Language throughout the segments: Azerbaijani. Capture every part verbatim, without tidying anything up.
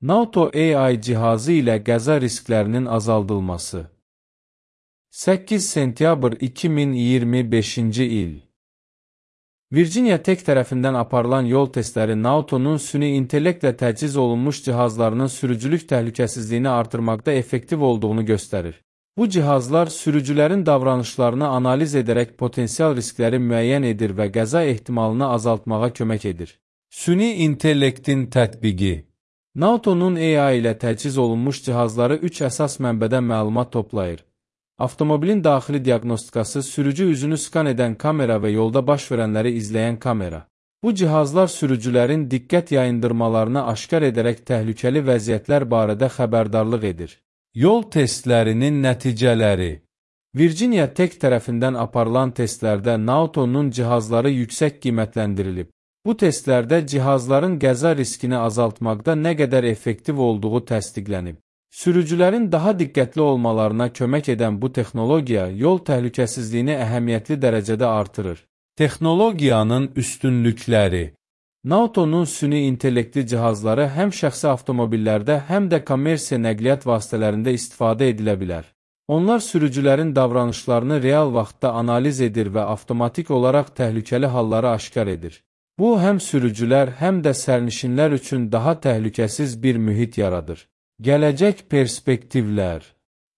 Nauto A I cihazı ilə qəza risklərinin azaldılması. səkkiz sentyabr iki min iyirmi beşinci il. Virginia Tech tərəfindən aparılan yol testləri Nauto'nun süni intellektlə təchiz olunmuş cihazlarının sürücülük təhlükəsizliyini artırmaqda effektiv olduğunu göstərir. Bu cihazlar sürücülərin davranışlarını analiz edərək potensial riskləri müəyyən edir və qəza ehtimalını azaltmağa kömək edir. Süni intellektin tətbiqi. Nauto'nun A I ilə təchiz olunmuş cihazları üç əsas mənbədən məlumat toplayır. Avtomobilin daxili diaqnostikası, sürücü üzünü skan edən kamera və yolda baş verənləri izləyən kamera. Bu cihazlar sürücülərin diqqət yayındırmalarını aşkar edərək təhlükəli vəziyyətlər barədə xəbərdarlıq edir. Yol testlərinin nəticələri. Virginia Tech tərəfindən aparılan testlərdə Nauto'nun cihazları yüksək qiymətləndirilib. Bu testlərdə cihazların qəza riskini azaltmaqda nə qədər effektiv olduğu təsdiqlənib. Sürücülərin daha diqqətli olmalarına kömək edən bu texnologiya yol təhlükəsizliyini əhəmiyyətli dərəcədə artırır. Texnologiyanın üstünlükləri. Nauto'nun süni intellektli cihazları həm şəxsi avtomobillərdə, həm də kommersiya nəqliyyat vasitələrində istifadə edilə bilər. Onlar sürücülərin davranışlarını real vaxtda analiz edir və avtomatik olaraq təhlükəli halları aşkar edir. Bu, həm sürücülər, həm də sərnişinlər üçün daha təhlükəsiz bir mühit yaradır. Gələcək perspektivlər.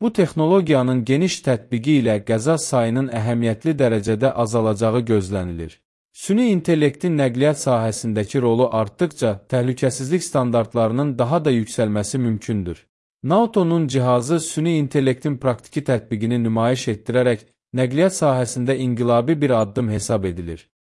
Bu texnologiyanın geniş tətbiqi ilə qəza sayının əhəmiyyətli dərəcədə azalacağı gözlənilir. Süni intellektin nəqliyyat sahəsindəki rolu artdıqca təhlükəsizlik standartlarının daha da yüksəlməsi mümkündür. Nauto'nun cihazı süni intellektin praktiki tətbiqini nümayiş etdirərək nəqliyyat sahəsində inqilabi bir addım hesab edilir.